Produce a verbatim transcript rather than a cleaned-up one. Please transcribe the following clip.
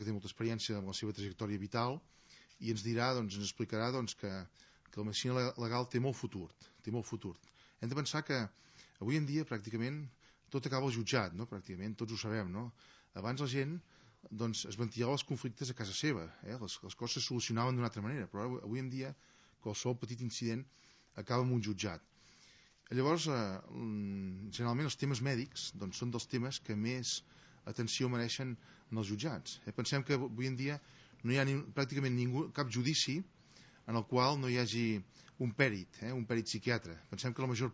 que té molta experiència amb la seva trajectòria vital, i ens dirà, doncs, ens explicarà doncs, que, que la medicina legal té molt futur, té molt futur. Hem de pensar que avui en dia pràcticament tot acaba al jutjat, no? Pràcticament tots ho sabem, no? Abans la gent doncs, es ventilava els conflictes a casa seva, eh? les, les coses se solucionaven d'una altra manera, però avui en dia qualsevol petit incident acaba en un jutjat. Llavors, eh, generalment els temes mèdics doncs, són dels temes que més atenció mereixen en els jutjats. Eh? Pensem que avui en dia no hi ha ni, pràcticament ningú, cap judici en el qual no hi hagi un pèrit, eh? un pèrit psiquiatre. Pensem que la major